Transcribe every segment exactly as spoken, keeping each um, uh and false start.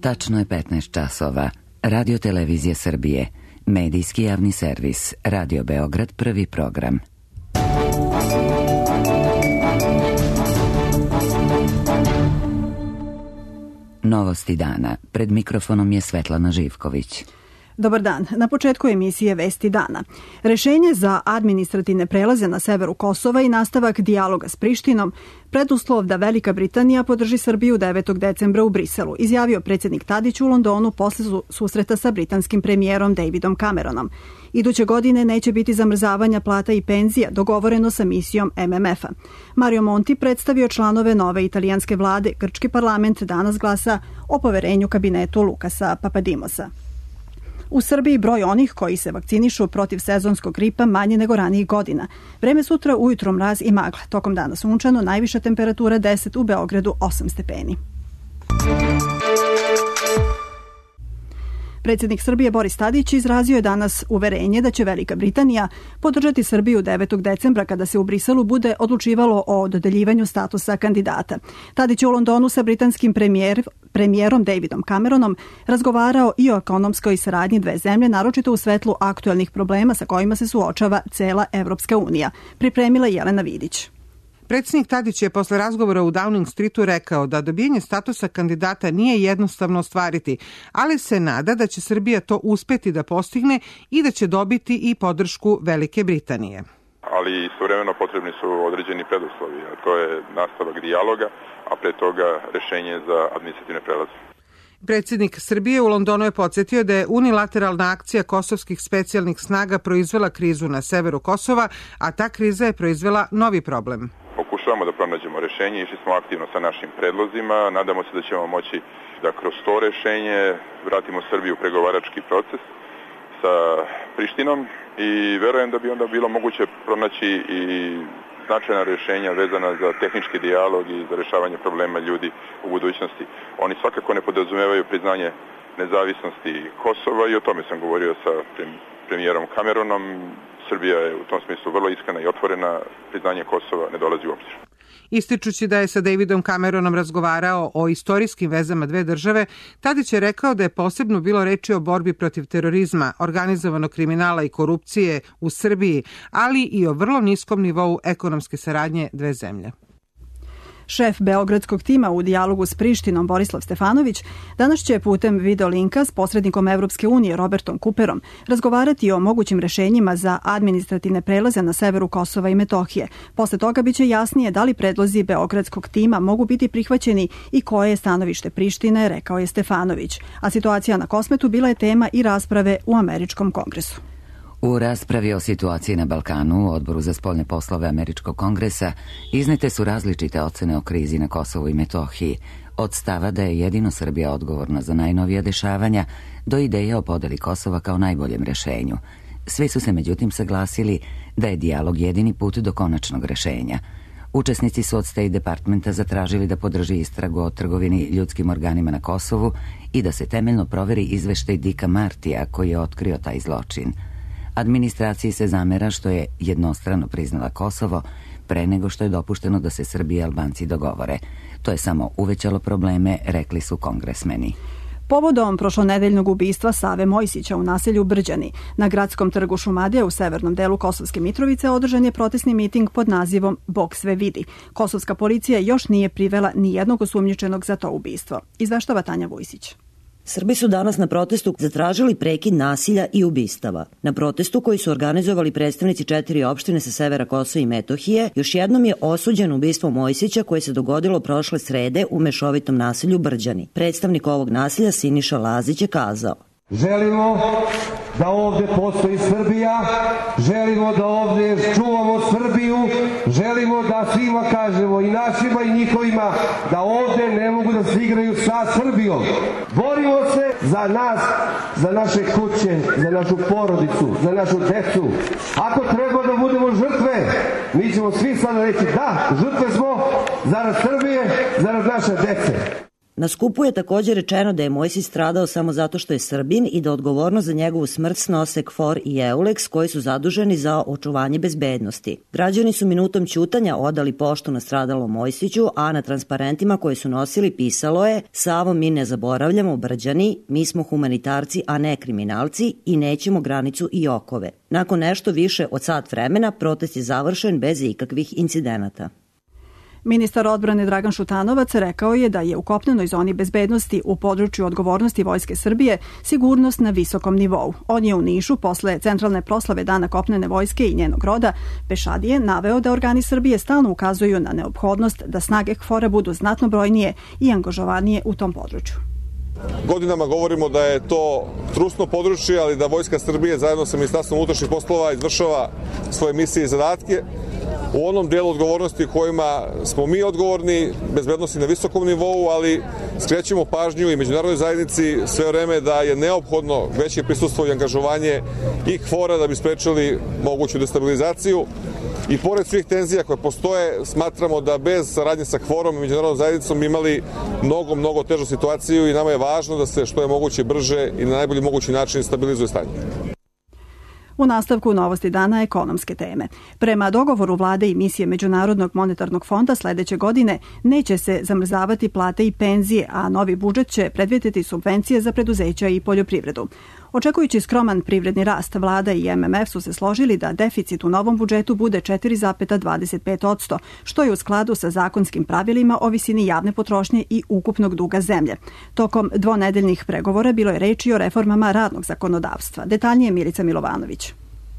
Tačno je petnaest časova. Radio Televizija Srbije. Medijski javni servis. Radio Beograd, prvi program. Novosti dana. Pred mikrofonom je Svetlana Živković. Dobar dan. Na početku emisije Vesti dana. Rešenje za administrativne prelaze na severu Kosova i nastavak dijaloga s Prištinom preduslov da Velika Britanija podrži Srbiju devetog decembra u Briselu, izjavio predsjednik Tadić u Londonu posle susreta sa britanskim premijerom Davidom Cameronom. Iduće godine neće biti zamrzavanja plata i penzija, dogovoreno sa misijom M M F-a. Mario Monti predstavio članove nove italijanske vlade. Grčki parlament danas glasa o poverenju kabinetu Lukasa Papadimosa. U Srbiji broj onih koji se vakcinišu protiv sezonskog gripa manje nego ranijih godina. Vreme sutra ujutro mraz i magla. Tokom dana sunčano, najviša temperatura deset, u Beogradu osam stepeni. Predsjednik Srbije Boris Tadić izrazio je danas uverenje da će Velika Britanija podržati Srbiju devetog decembra kada se u Briselu bude odlučivalo o dodeljivanju statusa kandidata. Tadić je u Londonu sa britanskim premijer, premijerom Davidom Cameronom razgovarao i o ekonomskoj saradnji dve zemlje, naročito u svetlu aktuelnih problema sa kojima se suočava cela Evropska unija. Pripremila Jelena Vidić. Predsjednik Tadić je posle razgovora u Downing Streetu rekao da dobijanje statusa kandidata nije jednostavno ostvariti, ali se nada da će Srbija to uspeti da postigne i da će dobiti i podršku Velike Britanije. Ali istovremeno potrebni su određeni preduslovi, a to je nastavak dijaloga, a pre toga rešenje za administrativne prelaze. Predsjednik Srbije u Londonu je podsjetio da je unilateralna akcija kosovskih specijalnih snaga proizvela krizu na severu Kosova, a ta kriza je proizvela novi problem. Pokušavamo da pronađemo rešenje, išli smo aktivno sa našim predlozima, nadamo se da ćemo moći da kroz to rešenje vratimo Srbiju u pregovarački proces sa Prištinom i verujem da bi onda bilo moguće pronaći i značajna rešenja vezana za tehnički dijalog i za rešavanje problema ljudi u budućnosti. Oni svakako ne podrazumevaju priznanje nezavisnosti Kosova i o tome sam govorio sa premijerom Cameronom. Srbija je u tom smislu vrlo iskrena i otvorena, priznanje Kosova ne dolazi u obzir. Ističući da je sa Davidom Cameronom razgovarao o istorijskim vezama dve države, Tadić je rekao da je posebno bilo reči o borbi protiv terorizma, organizovanog kriminala i korupcije u Srbiji, ali i o vrlo niskom nivou ekonomske saradnje dve zemlje. Šef beogradskog tima u dijalogu s Prištinom Borislav Stefanović danas će putem videolinka s posrednikom Evropske unije Robertom Cooperom razgovarati o mogućim rešenjima za administrativne prelaze na severu Kosova i Metohije. Posle toga biće jasnije da li predlozi beogradskog tima mogu biti prihvaćeni i koje je stanovište Prištine, rekao je Stefanović. A situacija na Kosmetu bila je tema i rasprave u Američkom kongresu. U raspravi o situaciji na Balkanu u Odboru za spoljne poslove Američkog kongresa iznete su različite ocene o krizi na Kosovu i Metohiji, od stava da je jedino Srbija odgovorna za najnovija dešavanja do ideje o podeli Kosova kao najboljem rešenju. Svi su se međutim saglasili da je dijalog jedini put do konačnog rešenja. Učesnici su od State Departmenta zatražili da podrži istragu o trgovini ljudskim organima na Kosovu i da se temeljno proveri izveštaj Dicka Martija koji je otkrio taj zločin. Administraciji se zamera što je jednostrano priznala Kosovo pre nego što je dopušteno da se Srbi i Albanci dogovore. To je samo uvećalo probleme, rekli su kongresmeni. Povodom prošlonedeljnog ubistva Save Mojsića u naselju Brđani na gradskom trgu Šumadija u severnom delu Kosovske Mitrovice održan je protestni miting pod nazivom Bog sve vidi. Kosovska policija još nije privela ni jednog osumnjičenog za to ubistvo. Izveštava Tanja Vujsić. Srbi su danas na protestu zatražili prekid nasilja i ubistava. Na protestu koji su organizovali predstavnici četiri opštine sa severa Kosova i Metohije, još jednom je osuđen ubistvo Mojsića koje se dogodilo prošle srede u mešovitom naselju Brđani. Predstavnik ovog naselja Siniša Lazić je kazao: Želimo da ovde postoji Srbija, želimo da ovde čuvamo Srbiju, želimo da svima kažemo, i našima i njihovima, da ovde ne mogu da se igraju sa Srbijom. Borimo se za nas, za naše kuće, za našu porodicu, za našu decu. Ako treba da budemo žrtve, mi ćemo svi sada reći da, žrtve smo zarad Srbije, zarad naše dece. Na skupu je također rečeno da je Mojsić stradao samo zato što je Srbin i da odgovornost za njegovu smrt snose KFOR i EULEX koji su zaduženi za očuvanje bezbednosti. Građani su minutom ćutanja odali poštu na stradalom Mojsiću, a na transparentima koje su nosili pisalo je: Savo, mi ne zaboravljamo, Brđani, mi smo humanitarci, a ne kriminalci i nećemo granicu i okove. Nakon nešto više od sat vremena protest je završen bez ikakvih incidenata. Ministar odbrane Dragan Šutanovac rekao je da je u kopnenoj zoni bezbednosti u području odgovornosti Vojske Srbije sigurnost na visokom nivou. On je u Nišu posle centralne proslave Dana kopnene vojske i njenog roda Pešadije naveo da organi Srbije stalno ukazuju na neophodnost da snage KFOR-a budu znatno brojnije i angažovanije u tom području. Godinama govorimo da je to trusno područje, ali da Vojska Srbije zajedno sa Ministarstvom unutrašnjih poslova izvršava svoje misije i zadatke u onom delu odgovornosti kojima smo mi odgovorni, bezbednosti na visokom nivou, ali skrećemo pažnju i međunarodnoj zajednici sve vreme da je neophodno veće prisustvo i angažovanje i KFOR-a da bi sprečili moguću destabilizaciju. I pored svih tenzija koje postoje, smatramo da bez saradnje sa KFOR-om i međunarodnom zajednicom bi imali mnogo, mnogo težu situaciju i nama je važno da se što je moguće brže i na najbolji mogući način stabilizuje stanje. U nastavku novosti dana ekonomske teme. Prema dogovoru vlade i misije Međunarodnog monetarnog fonda sledeće godine neće se zamrzavati plate i penzije, a novi budžet će predvideti subvencije za preduzeća i poljoprivredu. Očekujući skroman privredni rast, vlada i M M F su se složili da deficit u novom budžetu bude četiri zarez dvadeset pet posto, što je u skladu sa zakonskim pravilima o visini javne potrošnje i ukupnog duga zemlje. Tokom dvonedeljnih pregovora bilo je reči o reformama radnog zakonodavstva. Detaljnije Milica Milovanović.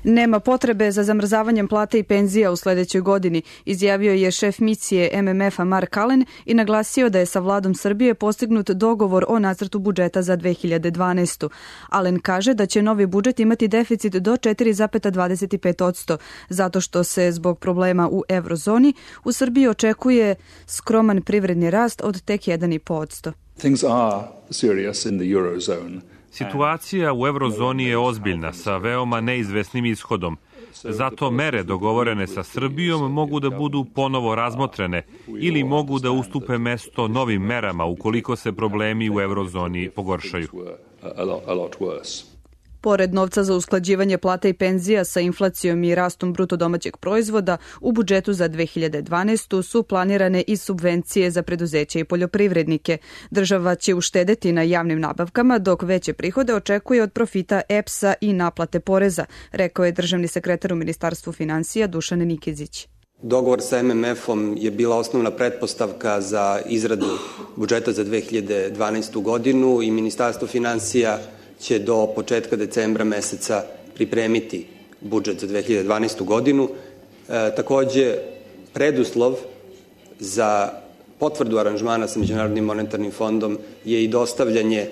Nema potrebe za zamrzavanjem plata i penzija u sledećoj godini, izjavio je šef misije M M F-a Mark Allen i naglasio da je sa vladom Srbije postignut dogovor o nacrtu budžeta za dve hiljade dvanaestu. Allen kaže da će novi budžet imati deficit do četiri zarez dvadeset pet posto, zato što se zbog problema u eurozoni u Srbiji očekuje skroman privredni rast od tek jedan zarez pet posto. Things are serious in the eurozone. Situacija u eurozoni je ozbiljna, sa veoma neizvesnim ishodom. Zato mere dogovorene sa Srbijom mogu da budu ponovo razmotrene ili mogu da ustupe mesto novim merama ukoliko se problemi u eurozoni pogoršaju. Pored novca za usklađivanje plata i penzija sa inflacijom i rastom bruto domaćeg proizvoda, u budžetu za dve hiljade dvanaestu su planirane i subvencije za preduzeće i poljoprivrednike. Država će uštedeti na javnim nabavkama, dok veće prihode očekuje od profita E P S-a i naplate poreza, rekao je državni sekretar u Ministarstvu finansija Dušan Nikezić. Dogovor sa M M F-om je bila osnovna pretpostavka za izradu budžeta za dve hiljade dvanaestu godinu i Ministarstvo finansija će do početka decembra meseca pripremiti budžet za dve hiljade dvanaestu godinu. E, takođe, preduslov za potvrdu aranžmana sa Međunarodnim monetarnim fondom je i dostavljanje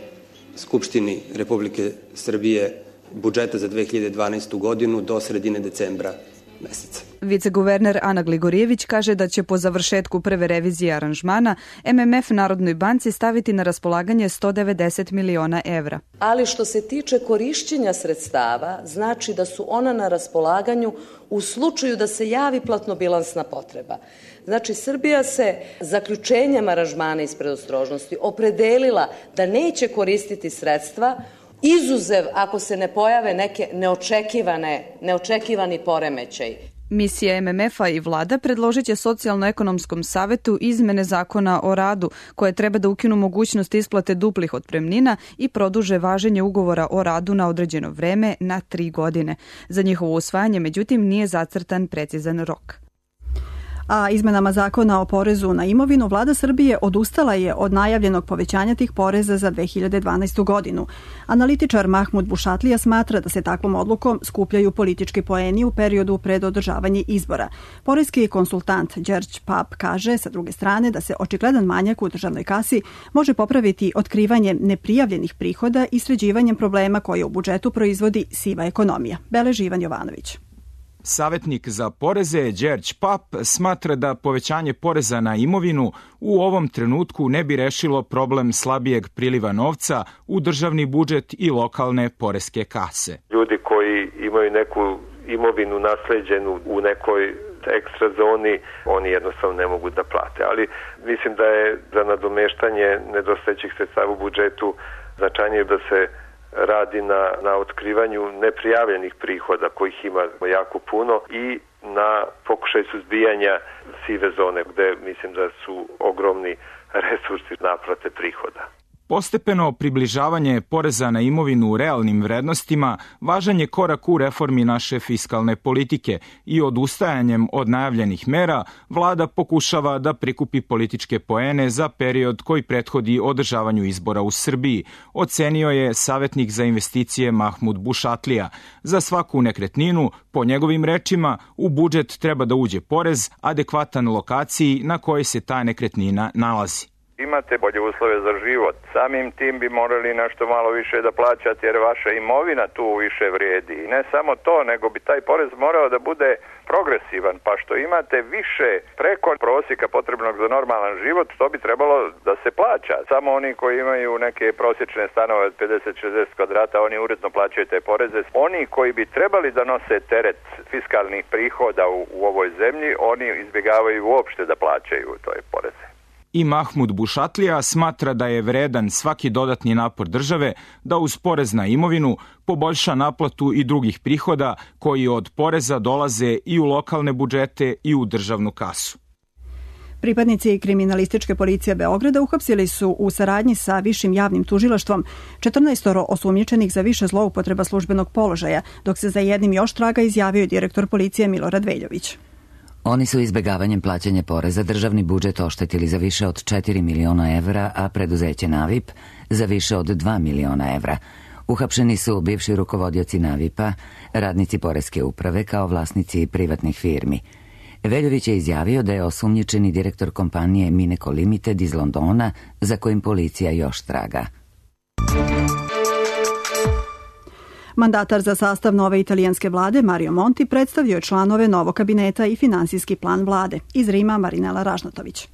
Skupštini Republike Srbije budžeta za dve hiljade dvanaestu godinu do sredine decembra meseca. Viceguverner Ana Gligorijević kaže da će po završetku prve revizije aranžmana M M F Narodnoj banci staviti na raspolaganje sto devedeset miliona evra. Ali što se tiče korišćenja sredstava, znači da su ona na raspolaganju u slučaju da se javi platnobilansna potreba. Znači, Srbija se zaključenjem aranžmana iz predostrožnosti opredelila da neće koristiti sredstva izuzev ako se ne pojave neke neočekivane, neočekivani poremećaj. Misija M M F-a i vlada predložit će Socijalno-ekonomskom savetu izmene zakona o radu, koje treba da ukinu mogućnost isplate duplih otpremnina i produže važenje ugovora o radu na određeno vreme na tri godine. Za njihovo usvajanje, međutim, nije zacrtan precizan rok. A izmenama zakona o porezu na imovinu, vlada Srbije odustala je od najavljenog povećanja tih poreza za dve hiljade dvanaestu godinu. Analitičar Mahmud Bušatlija smatra da se takvom odlukom skupljaju politički poeni u periodu pred održavanje izbora. Poreski konsultant Đerđ Pap kaže sa druge strane da se očigledan manjak u državnoj kasi može popraviti otkrivanjem neprijavljenih prihoda i sređivanjem problema koje u budžetu proizvodi siva ekonomija. Beleži Ivan Jovanović. Savetnik za poreze Đerđ Pap smatra da povećanje poreza na imovinu u ovom trenutku ne bi rešilo problem slabijeg priliva novca u državni budžet i lokalne poreske kase. Ljudi koji imaju neku imovinu nasleđenu u nekoj ekstra zoni, oni jednostavno ne mogu da plate. Ali mislim da je za nadomeštanje nedostajućih sredstava u budžetu značajnije da se radi na, na otkrivanju neprijavljenih prihoda, kojih ima jako puno, i na pokušaj suzbijanja sive zone, gde mislim da su ogromni resursi naplate prihoda. Postepeno približavanje poreza na imovinu u realnim vrednostima važan je korak u reformi naše fiskalne politike i odustajanjem od najavljenih mera vlada pokušava da prikupi političke poene za period koji prethodi održavanju izbora u Srbiji, ocenio je savjetnik za investicije Mahmud Bušatlija. Za svaku nekretninu, po njegovim rečima, u budžet treba da uđe porez adekvatan lokaciji na kojoj se ta nekretnina nalazi. Imate bolje uslove za život. Samim tim bi morali nešto malo više da plaćate jer vaša imovina tu više vrijedi. I ne samo to, nego bi taj porez morao da bude progresivan, pa što imate više preko prosjeka potrebnog za normalan život, to bi trebalo da se plaća. Samo oni koji imaju neke prosječne stanove od pedeset do šezdeset kvadrata, oni uredno plaćaju te poreze. Oni koji bi trebali da nose teret fiskalnih prihoda u, u ovoj zemlji, oni izbjegavaju uopšte da plaćaju toj poreze. I Mahmud Bušatlija smatra da je vredan svaki dodatni napor države da uz porez na imovinu poboljša naplatu i drugih prihoda koji od poreza dolaze i u lokalne budžete i u državnu kasu. Pripadnici kriminalističke policije Beograda uhapsili su u saradnji sa Višim javnim tužilaštvom četrnaest osumnjičenih za više zloupotreba službenog položaja, dok se za jednim još traga izjavio direktor policije Milorad Veljović. Oni su izbegavanjem plaćanja poreza državni budžet oštetili za više od četiri miliona evra, a preduzeće Navip za više od dva miliona evra. Uhapšeni su bivši rukovodioci Navipa, radnici poreske uprave kao vlasnici privatnih firmi. Veljović je izjavio da je osumnjičeni direktor kompanije Mineco Limited iz Londona, za kojim policija još traga. Mandatar za sastav nove italijanske vlade Mario Monti predstavio je članove novog kabineta i finansijski plan vlade. Iz Rima Marinela Ražnatović.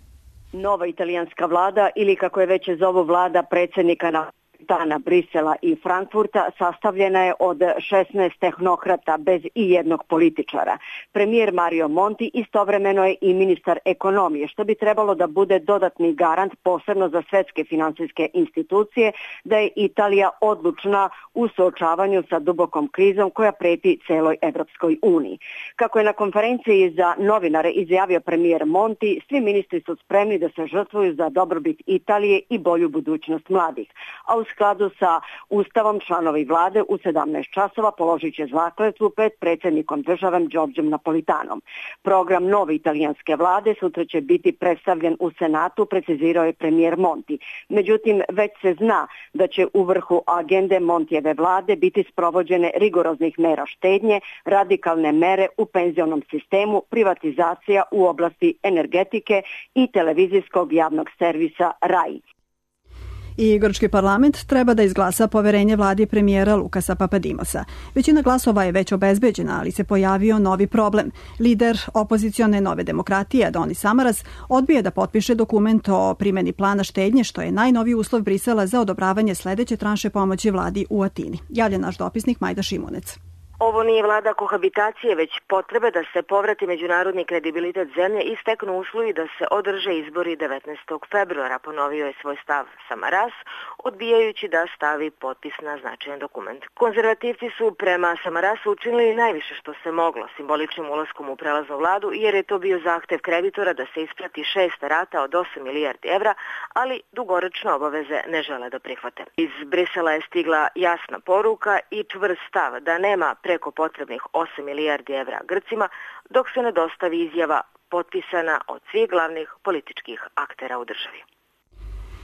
Nova italijanska vlada, ili kako je već zovu vlada predsjednika na Tana, Brisela i Frankfurta, sastavljena je od šesnaest tehnokrata bez i jednog političara. Premijer Mario Monti istovremeno je i ministar ekonomije, što bi trebalo da bude dodatni garant posebno za svetske finansijske institucije da je Italija odlučna u suočavanju sa dubokom krizom koja preti celoj Evropskoj uniji. Kako je na konferenciji za novinare izjavio premijer Monti, svi ministri su spremni da se žrtvuju za dobrobit Italije i bolju budućnost mladih. A u skladu sa Ustavom članovi vlade u sedamnaest časova položit će zakletvu pred predsjednikom države Đorđem Napolitanom. Program nove italijanske vlade sutra će biti predstavljen u Senatu, precizirao je premijer Monti. Međutim, već se zna da će u vrhu agende Montijeve vlade biti sprovođene rigoroznih mera štednje, radikalne mere u penzionom sistemu, privatizacija u oblasti energetike i televizijskog javnog servisa R A I. I grčki parlament treba da izglasa poverenje vladi premijera Lukasa Papadimosa. Većina glasova je već obezbeđena, ali se pojavio novi problem. Lider opozicione Nove demokratije, Adonis Samaras, odbije da potpiše dokument o primjeni plana štednje, što je najnoviji uslov Brisela za odobravanje sledeće tranše pomoći vladi u Atini. Javlja naš dopisnik Majda Šimunec. Ovo nije vlada kohabitacije, već potrebe da se povrati međunarodni kredibilitet zemlje i steknu uslovi da se održe izbori devetnaestog februara, ponovio je svoj stav Samaras, odbijajući da stavi potpis na značajan dokument. Konzervativci su prema Samarasu učinili najviše što se moglo simboličnim ulaskom u prelaznu vladu, jer je to bio zahtev kreditora da se isplati šest rata od osam milijardi evra, ali dugoročne obaveze ne žele da prihvate. Iz Brisela je stigla jasna poruka i čvrst stav da nema preko potrebnih osam milijardi evra Grcima, dok se ne dostavi izjava potpisana od svih glavnih političkih aktera u državi.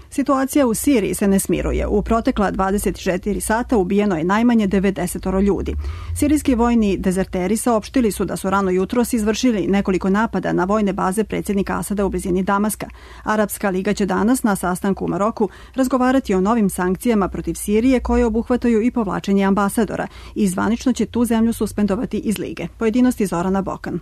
Situacija u Siriji se ne smiruje. U protekla dvadeset četiri sata ubijeno je najmanje devedeset ljudi. Sirijski vojni dezerteri saopštili su da su rano jutros izvršili nekoliko napada na vojne baze predsjednika Asada u blizini Damaska. Arapska liga će danas na sastanku u Maroku razgovarati o novim sankcijama protiv Sirije koje obuhvataju i povlačenje ambasadora i zvanično će tu zemlju suspendovati iz lige. Pojedinosti Zorana Bokan.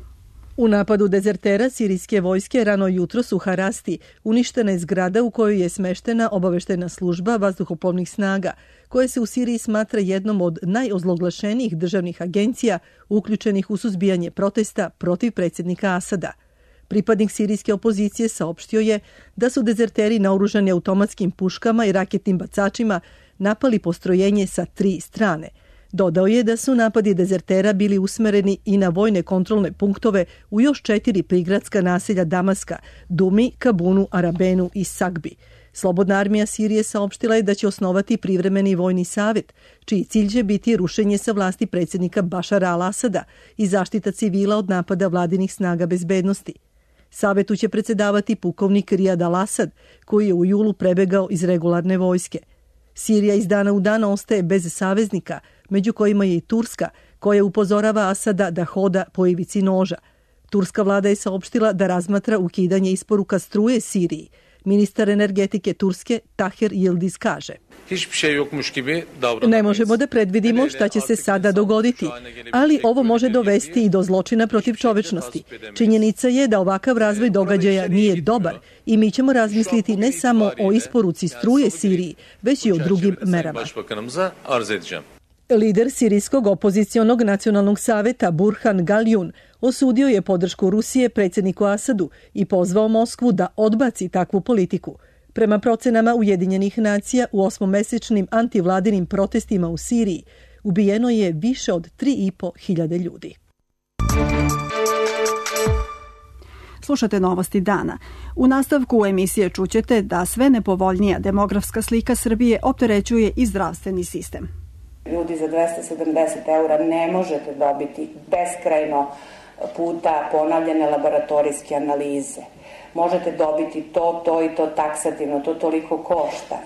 U napadu dezertera sirijske vojske rano jutros u Harasti uništena je zgrada u kojoj je smeštena obaveštena služba vazduhoplovnih snaga, koja se u Siriji smatra jednom od najozloglašenijih državnih agencija uključenih u suzbijanje protesta protiv predsjednika Asada. Pripadnik sirijske opozicije saopštio je da su dezerteri naoružani automatskim puškama i raketnim bacačima napali postrojenje sa tri strane. Dodao je da su napadi dezertera bili usmereni i na vojne kontrolne punktove u još četiri prigradska naselja Damaska, Dumi, Kabunu, Arabenu i Sagbi. Slobodna armija Sirije saopštila je da će osnovati privremeni vojni savjet, čiji cilj će biti rušenje sa vlasti predsjednika Bašara al-Asada i zaštita civila od napada vladinih snaga bezbednosti. Savetu će predsjedavati pukovnik Rijad al-Asad, koji je u julu prebegao iz regularne vojske. Sirija iz dana u dan ostaje bez saveznika, među kojima je i Turska, koja upozorava Asada da hoda po ivici noža. Turska vlada je saopštila da razmatra ukidanje isporuka struje Siriji. Ministar energetike Turske Taher Yildiz kaže: Ne možemo da predvidimo šta će se sada dogoditi, ali ovo može dovesti i do zločina protiv čovečnosti. Činjenica je da ovakav razvoj događaja nije dobar i mi ćemo razmisliti ne samo o isporuci struje Siriji, već i o drugim merama. Lider sirijskog opozicionog nacionalnog saveta Burhan Galjun osudio je podršku Rusije predsjedniku Asadu i pozvao Moskvu da odbaci takvu politiku. Prema procenama Ujedinjenih nacija u osmomesečnim antivladinim protestima u Siriji ubijeno je više od tri i po hiljade ljudi. Slušate novosti dana. U nastavku emisije čućete da sve nepovoljnija demografska slika Srbije opterećuje i zdravstveni sistem. Ljudi za dvesta sedamdeset eura ne možete dobiti beskrajno puta ponavljane laboratorijske analize. Možete dobiti to, to i to taksativno, to toliko košta.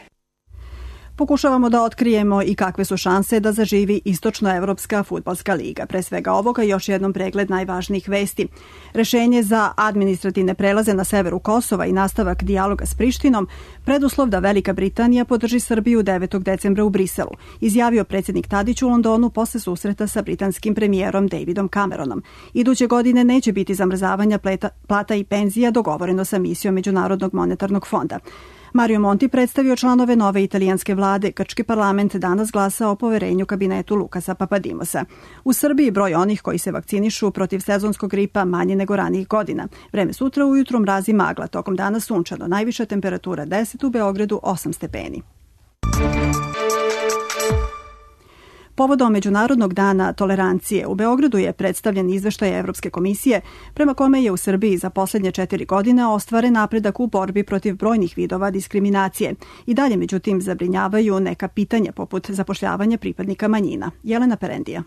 Pokušavamo da otkrijemo i kakve su šanse da zaživi Istočnoevropska fudbalska liga. Pre svega ovoga još jednom pregled najvažnijih vesti. Rešenje za administrativne prelaze na severu Kosova i nastavak dijaloga s Prištinom preduslov da Velika Britanija podrži Srbiju devetog decembra u Briselu, izjavio predsjednik Tadić u Londonu posle susreta sa britanskim premijerom Davidom Cameronom. Iduće godine neće biti zamrzavanja pleta, plata i penzija, dogovoreno sa misijom Međunarodnog monetarnog fonda. Mario Monti predstavio članove nove italijanske vlade. Grčki parlament danas glasa o poverenju kabinetu Lukasa Papadimosa. U Srbiji broj onih koji se vakcinišu protiv sezonskog gripa manje nego ranijih godina. Vreme sutra ujutro mrazi magla, tokom dana sunčano. Najviša temperatura deset, u Beogradu osam stepeni. Povodom Međunarodnog dana tolerancije u Beogradu je predstavljen izveštaj Evropske komisije prema kome je u Srbiji za posljednje četiri godine ostvaren napredak u borbi protiv brojnih vidova diskriminacije. I dalje, međutim, zabrinjavaju neka pitanja poput zapošljavanja pripadnika manjina. Jelena Perendija.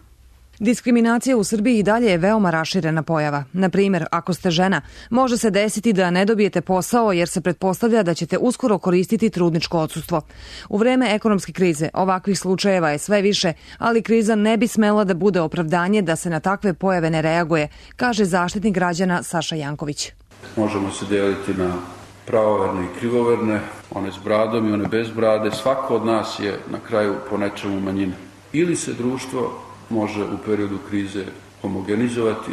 Diskriminacija u Srbiji i dalje je veoma raširena pojava. Na primjer, ako ste žena, može se desiti da ne dobijete posao jer se pretpostavlja da ćete uskoro koristiti trudničko odsustvo. U vreme ekonomske krize ovakvih slučajeva je sve više, ali kriza ne bi smela da bude opravdanje da se na takve pojave ne reaguje, kaže zaštitnik građana Saša Janković. Možemo se deliti na pravoverne i krivoverne, one s bradom i one bez brade. Svako od nas je na kraju po nečemu manjina. Ili se društvo može u periodu krize homogenizovati.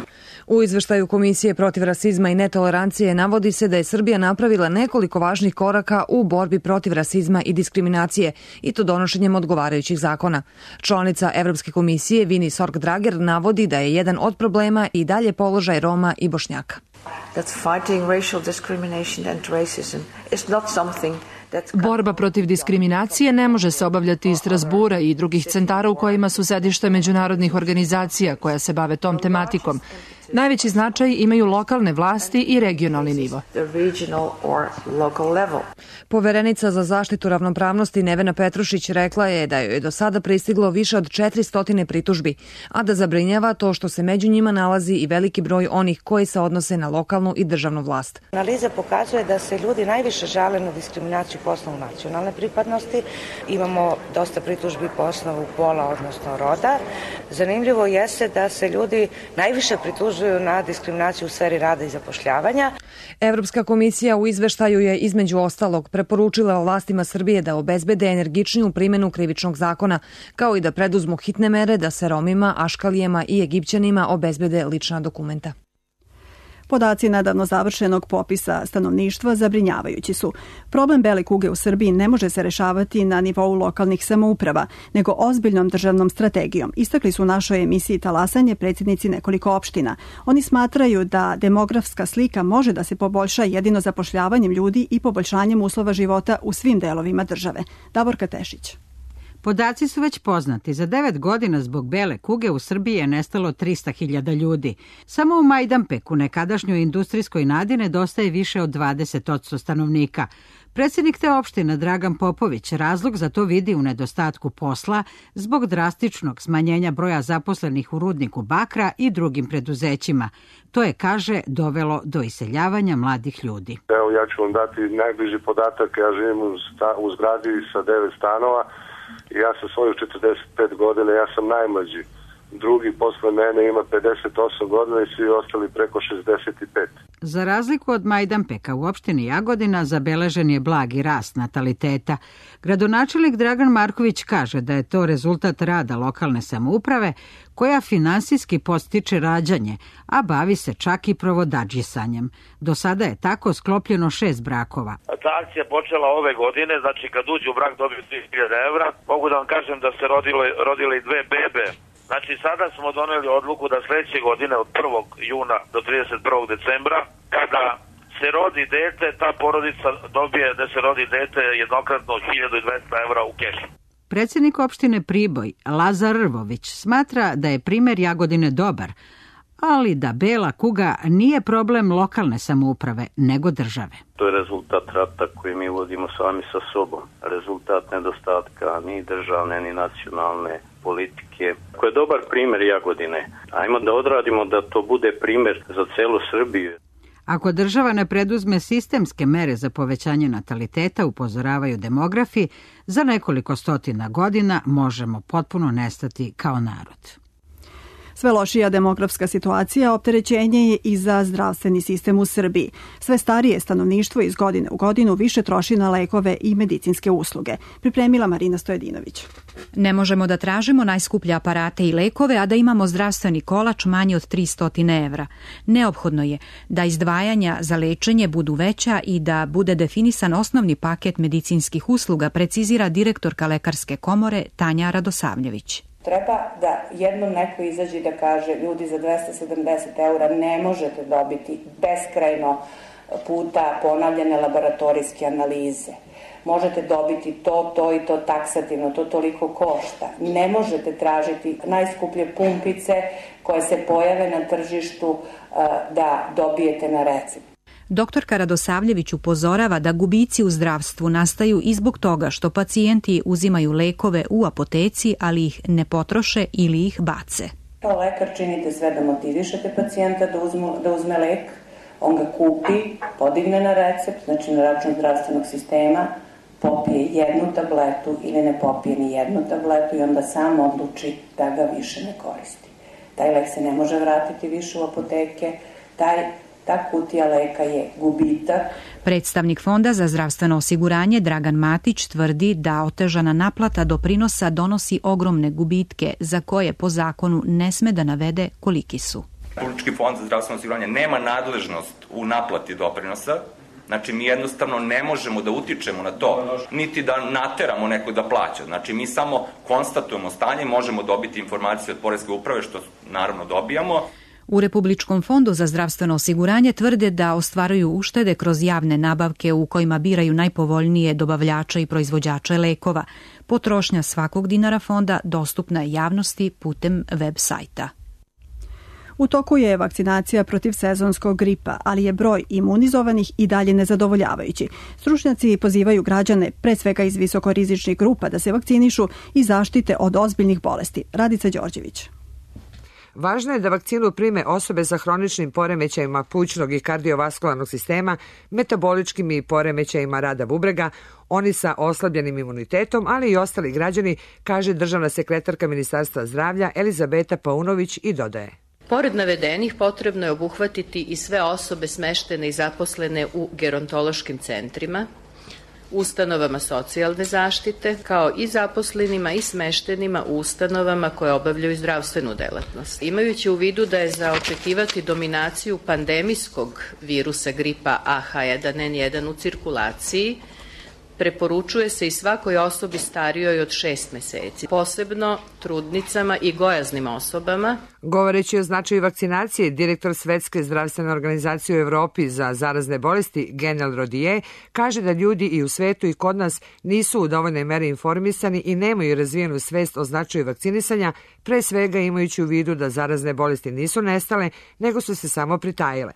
U izveštaju Komisije protiv rasizma i netolerancije navodi se da je Srbija napravila nekoliko važnih koraka u borbi protiv rasizma i diskriminacije, i to donošenjem odgovarajućih zakona. Članica Evropske komisije Vini Sorg-Drager navodi da je jedan od problema i dalje položaj Roma i Bošnjaka. Borba protiv diskriminacije ne može se obavljati iz Strasbura i drugih centara u kojima su sedišta međunarodnih organizacija koja se bave tom tematikom. Najveći značaj imaju lokalne vlasti i regionalni nivo. Poverenica za zaštitu ravnopravnosti Nevena Petrušić rekla je da joj je do sada pristiglo više od četiristo pritužbi, a da zabrinjava to što se među njima nalazi i veliki broj onih koji se odnose na lokalnu i državnu vlast. Analiza pokazuje da se ljudi najviše žale na diskriminaciju po osnovu nacionalne pripadnosti. Imamo dosta pritužbi po osnovu pola, odnosno roda. Zanimljivo jeste da se ljudi najviše pritužuju na diskriminaciju u sferi rada i zapošljavanja. Evropska komisija u izveštaju je između ostalog preporučila vlastima Srbije da obezbede energičniju primjenu krivičnog zakona, kao i da preduzmu hitne mere da se Romima, Aškalijama i Egipćanima obezbede lična dokumenta. Podaci nedavno završenog popisa stanovništva zabrinjavajući su. Problem bele kuge u Srbiji ne može se rešavati na nivou lokalnih samouprava, nego ozbiljnom državnom strategijom. Istakli su u našoj emisiji Talasanje predsjednici nekoliko opština. Oni smatraju da demografska slika može da se poboljša jedino zapošljavanjem ljudi i poboljšanjem uslova života u svim delovima države. Davorka Tešić. Podaci su već poznati. Za devet godina zbog bele kuge u Srbiji je nestalo trista hiljada ljudi. Samo u Majdanpeku, nekadašnjoj industrijskoj nadi, nedostaje više od dvadeset posto stanovnika. Predsjednik te opštine Dragan Popović razlog za to vidi u nedostatku posla zbog drastičnog smanjenja broja zaposlenih u rudniku bakra i drugim preduzećima. To je, kaže, dovelo do iseljavanja mladih ljudi. Evo, ja ću vam dati najbliži podatak. Ja živim u, sta, u zgradi sa devet stanova. Ja sa svojih četrdeset pet godina, ja sam najmlađi. Drugi posle mene ima pedeset osam godina i svi ostali preko šezdeset pet. Za razliku od Majdanpeka u opštini Jagodina zabeležen je blagi rast nataliteta. Gradonačelnik Dragan Marković kaže da je to rezultat rada lokalne samouprave koja finansijski podstiče rađanje, a bavi se čak i provodadžisanjem. Do sada je tako sklopljeno šest brakova. Ta akcija počela ove godine, znači kad uđu u brak dobiju tri hiljade evra. Mogu da vam kažem da se rodile, rodile i dve bebe. Znači sada smo doneli odluku da sledeće godine od prvog juna do trideset prvog decembra, kada se rodi dete, ta porodica dobije da se rodi dete jednokratno hiljadu dvesta evra u kešu. Predsjednik opštine Priboj, Lazar Rvović, smatra da je primer Jagodine dobar, ali da bela kuga nije problem lokalne samouprave, nego države. To je rezultat rata koji mi vodimo sami sa sobom. Rezultat nedostatka ni državne, ni nacionalne politike. Ko je dobar primer Jagodine, ajmo da odradimo da to bude primer za celu Srbiju. Ako država ne preduzme sistemske mere za povećanje nataliteta, upozoravaju demografi, za nekoliko stotina godina možemo potpuno nestati kao narod. Sve lošija demografska situacija opterećenje je i za zdravstveni sistem u Srbiji. Sve starije stanovništvo iz godine u godinu više troši na lekove i medicinske usluge. Pripremila Marina Stojedinović. Ne možemo da tražimo najskuplje aparate i lekove, a da imamo zdravstveni kolač manji od tristo evra. Neophodno je da izdvajanja za lečenje budu veća i da bude definisan osnovni paket medicinskih usluga, precizira direktorka Lekarske komore Tanja Radosavljević. Treba da jednom neko izađe i da kaže ljudi za dvesta sedamdeset eura ne možete dobiti beskrajno puta ponavljane laboratorijske analize. Možete dobiti to, to i to taksativno, to toliko košta. Ne možete tražiti najskuplje pumpice koje se pojave na tržištu da dobijete na recept. Doktorka Radosavljević upozorava da gubici u zdravstvu nastaju i zbog toga što pacijenti uzimaju lekove u apoteci, ali ih ne potroše ili ih bace. Kao lekar činite sve da motivišete pacijenta da, uzmu, da uzme lek, on ga kupi, podigne na recept, znači na račun zdravstvenog sistema, popije jednu tabletu ili ne popije ni jednu tabletu i onda sam odluči da ga više ne koristi. Taj lek se ne može vratiti više u apoteke, taj ta kutija leka je gubitak. Predstavnik Fonda za zdravstveno osiguranje Dragan Matić tvrdi da otežana naplata doprinosa donosi ogromne gubitke za koje po zakonu ne sme da navede koliki su. Republički fond za zdravstveno osiguranje nema nadležnost u naplati doprinosa, znači mi jednostavno ne možemo da utičemo na to, niti da nateramo neko da plaća. Znači mi samo konstatujemo stanje, možemo dobiti informacije od Poreske uprave, što naravno dobijamo. U Republičkom fondu za zdravstveno osiguranje tvrde da ostvaruju uštede kroz javne nabavke u kojima biraju najpovoljnije dobavljače i proizvođače lekova. Potrošnja svakog dinara fonda dostupna je javnosti putem web sajta. U toku je vakcinacija protiv sezonskog gripa, ali je broj imunizovanih i dalje nezadovoljavajući. Stručnjaci pozivaju građane, pre svega iz visokorizičnih grupa, da se vakcinišu i zaštite od ozbiljnih bolesti. Radica Đorđević. Važno je da vakcinu prime osobe sa hroničnim poremećajima plućnog i kardiovaskularnog sistema, metaboličkim i poremećajima rada bubrega, oni sa oslabljenim imunitetom, ali i ostali građani, kaže državna sekretarka Ministarstva zdravlja Elizabeta Paunović i dodaje. Pored navedenih, potrebno je obuhvatiti i sve osobe smeštene i zaposlene u gerontološkim centrima, ustanovama socijalne zaštite, kao i zaposlenima i smeštenima u ustanovama koje obavljaju zdravstvenu delatnost. Imajući u vidu da je za očekivati dominaciju pandemijskog virusa gripa A H jedan N jedan u cirkulaciji, preporučuje se i svakoj osobi starijoj od šest meseci, posebno trudnicama i gojaznim osobama. Govoreći o značaju vakcinacije, direktor Svetske zdravstvene organizacije u Evropi za zarazne bolesti, Genel Rodije, kaže da ljudi i u svetu i kod nas nisu u dovoljnoj meri informisani i nemaju razvijenu svest o značaju vakcinisanja, pre svega imajući u vidu da zarazne bolesti nisu nestale, nego su se samo pritajile.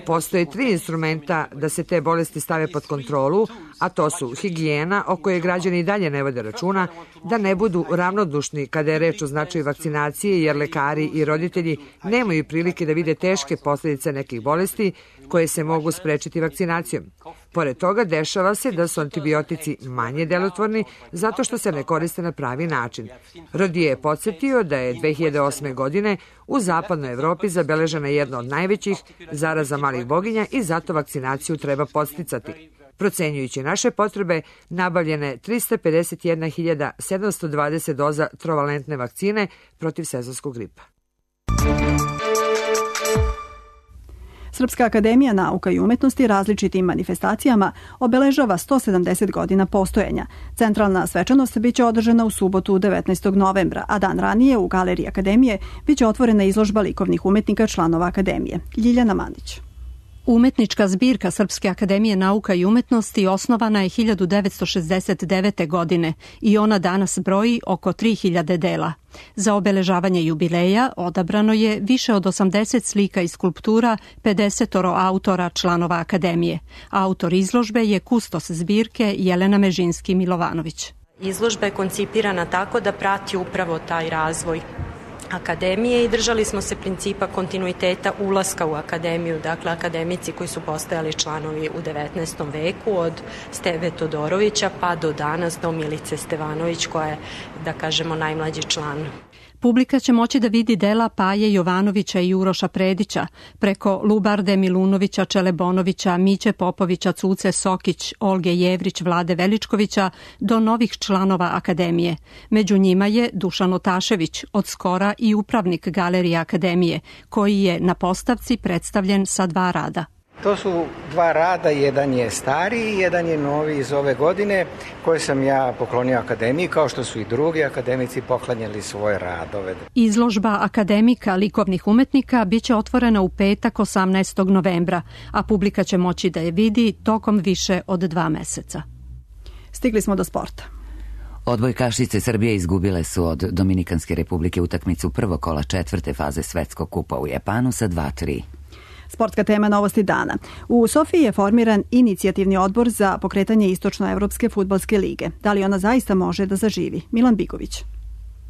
Postoje tri instrumenta da se te bolesti stave pod kontrolu, a to su higijena, o kojoj građani i dalje ne vode računa, da ne budu ravnodušni kada je reč o značaju vakcinacije, jer lekari i roditelji nemaju prilike da vide teške posljedice nekih bolesti koje se mogu sprečiti vakcinacijom. Pored toga, dešava se da su antibiotici manje delotvorni zato što se ne koriste na pravi način. Rodije je podsjetio da je dve hiljade osme. godine u zapadnoj Evropi zabeležena jedna od najvećih zaraza malih boginja i zato vakcinaciju treba podsticati. Procenjujući naše potrebe, nabavljene trista pedeset jedna hiljada sedamsto dvadeset doza trovalentne vakcine protiv sezonskog gripa. Srpska akademija nauka i umetnosti različitim manifestacijama obeležava sto sedamdeset godina postojanja. Centralna svečanost biće održana u subotu devetnaestog novembra, a dan ranije u Galeriji akademije biće otvorena izložba likovnih umetnika članova akademije. Ljiljana Manić. Umetnička zbirka Srpske akademije nauka i umetnosti osnovana je hiljadu devetsto šezdeset devete. godine i ona danas broji oko tri hiljade dela. Za obeležavanje jubileja odabrano je više od osamdeset slika i skulptura pedeset autora članova akademije. Autor izložbe je kustos zbirke Jelena Mežinski-Milovanović. Izložba je koncipirana tako da prati upravo taj razvoj akademije i držali smo se principa kontinuiteta ulaska u akademiju, dakle akademici koji su postojali članovi u devetnaestom veku od Steve Todorovića pa do danas do Milice Stevanović koja je, da kažemo, najmlađi član. Publika će moći da vidi dela Paje Jovanovića i Uroša Predića, preko Lubarde Milunovića, Čelebonovića, Miće Popovića, Cuce Sokić, Olge Jevrić, Vlade Veličkovića, do novih članova akademije. Među njima je Dušan Otašević, od skora i upravnik Galerije akademije, koji je na postavci predstavljen sa dva rada. To su dva rada, jedan je stariji, jedan je novi iz ove godine, koje sam ja poklonio akademiji, kao što su i drugi akademici poklanjali svoje radove. Izložba akademika likovnih umetnika biće otvorena u petak osamnaestog novembra, a publika će moći da je vidi tokom više od dva meseca. Stigli smo do sporta. Odbojkašice Srbije izgubile su od Dominikanske republike utakmicu prvog kola četvrte faze Svetskog kupa u Japanu sa dva tri. Sportska tema novosti dana. U Sofiji je formiran inicijativni odbor za pokretanje Istočnoevropske fudbalske lige. Da li ona zaista može da zaživi? Milan Bigović.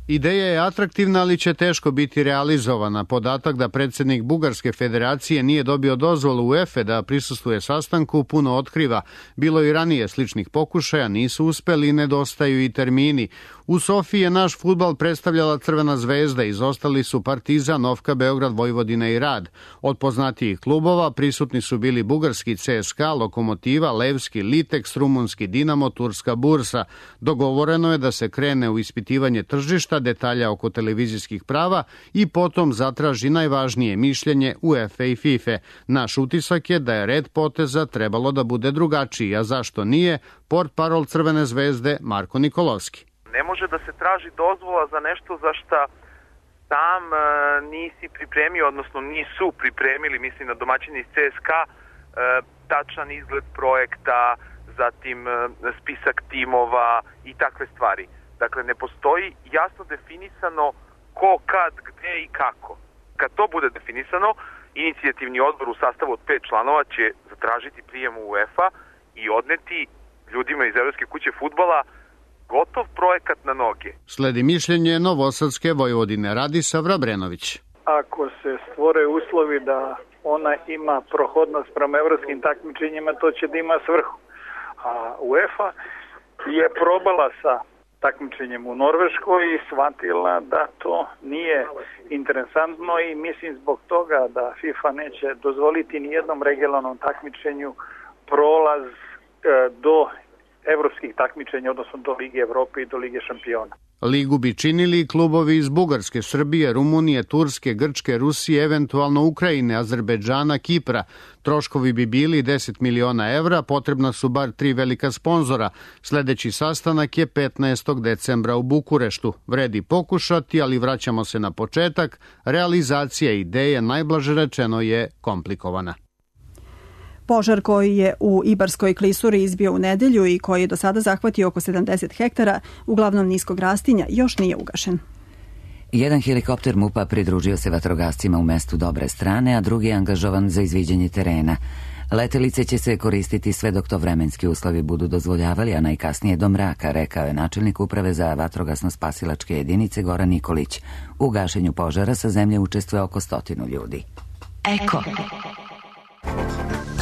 Ideja je atraktivna, ali će teško biti realizovana. Podatak da predsjednik Bugarske federacije nije dobio dozvolu UEFA da prisustvuje sastanku puno otkriva. Bilo i ranije sličnih pokušaja, nisu uspeli i nedostaju i termini. U Sofiji je naš fudbal predstavljala Crvena zvezda, izostali su Partizan, Ofka Beograd, Vojvodina i Rad. Od poznatijih klubova prisutni su bili bugarski C S K A, Lokomotiva, Levski, Liteks, rumunski Dinamo, turska Bursa. Dogovoreno je da se krene u ispitivanje tržišta, detalja oko televizijskih prava i potom zatraži najvažnije mišljenje UEFA i FIFA. Naš utisak je da je red poteza trebalo da bude drugačiji, a zašto nije? Portparol Crvene zvezde Marko Nikolovski. Ne može da se traži dozvola za nešto za šta sam e, nisi pripremio, odnosno nisu pripremili, mislim na domaćini iz C S K A, e, tačan izgled projekta, zatim e, spisak timova i takve stvari. Dakle, ne postoji jasno definisano ko, kad, gde i kako. Kad to bude definisano, inicijativni odbor u sastavu od pet članova će zatražiti prijem u UEFA i odneti ljudima iz Evropske kuće fudbala gotov projekat na noge. Sledi mišljenje Novosadske Vojvodine. Radiša Vrabrenović. Ako se stvore uslovi da ona ima prohodnost prema evropskim takmičenjima, to će da ima svrhu. A UEFA je probala sa takmičenjem u Norveškoj i shvatila da to nije interesantno i mislim zbog toga da FIFA neće dozvoliti ni jednom regionalnom takmičenju prolaz do evropskih takmičenja, odnosno do Lige Evrope i do Lige šampiona. Ligu bi činili klubovi iz Bugarske, Srbije, Rumunije, Turske, Grčke, Rusije, eventualno Ukrajine, Azerbejdžana, Kipra. Troškovi bi bili deset miliona evra, potrebna su bar tri velika sponzora. Sledeći sastanak je petnaestog decembra u Bukureštu. Vredi pokušati, ali vraćamo se na početak. Realizacija ideje, najblaže rečeno, je komplikovana. Požar koji je u Ibarskoj klisuri izbio u nedelju i koji je do sada zahvatio oko sedamdeset hektara, uglavnom niskog rastinja, još nije ugašen. Jedan helikopter MUP-a pridružio se vatrogascima u mestu Dobre Strane, a drugi je angažovan za izviđanje terena. Letelice će se koristiti sve dok to vremenski uslovi budu dozvoljavali, a najkasnije do mraka, rekao je načelnik uprave za vatrogasno-spasilačke jedinice Goran Nikolić. U gašenju požara sa zemlje učestvuje oko stotinu ljudi. Eko.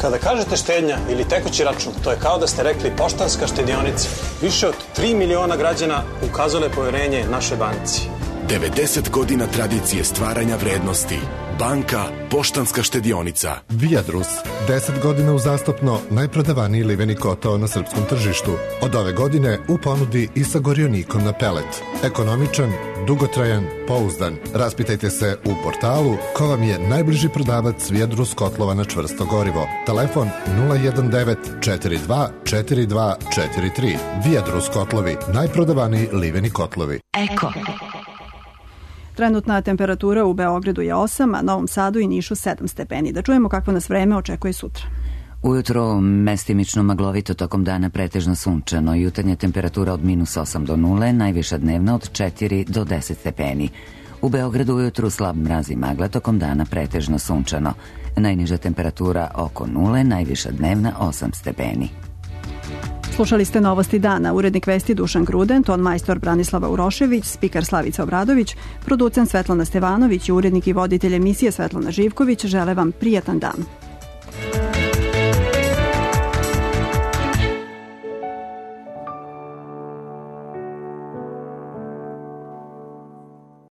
Kada kažete štednja ili tekući račun, to je kao da ste rekli Poštanska štedionica. Više od tri miliona građana ukazale poverenje našoj banci. devedeset godina tradicije stvaranja vrednosti. Banka Poštanska štedionica. Viadrus. deset godina uzastopno najprodavaniji liveni kotao na srpskom tržištu. Od ove godine u ponudi i sa gorionikom na pelet. Ekonomičan, dugotrajan, pouzdan. Raspitajte se u portalu ko vam je najbliži prodavac Viadrus kotlova na čvrsto gorivo. Telefon nula jedan devet četiri dva četiri dva četiri tri. Viadrus kotlovi. Najprodavaniji liveni kotlovi. Eko. Trenutna temperatura u Beogradu je osam, a Novom Sadu i Nišu sedam stepeni. Da čujemo kakvo nas vreme očekuje sutra. Ujutro mestimično maglovito, tokom dana pretežno sunčano. Jutarnja temperatura od minus osam do nule, najviša dnevna od četiri do deset stepeni. U Beogradu ujutru slab mraz i magla, tokom dana pretežno sunčano. Najniža temperatura oko nule, najviša dnevna osam stepeni. Slušali ste Novosti dana, urednik vesti Dušan Gruden, ton majstor Branislava Urošević, spikar Slavica Obradović, producent Svetlana Stevanović i urednik i voditelj emisije Svetlana Živković žele vam prijatan dan.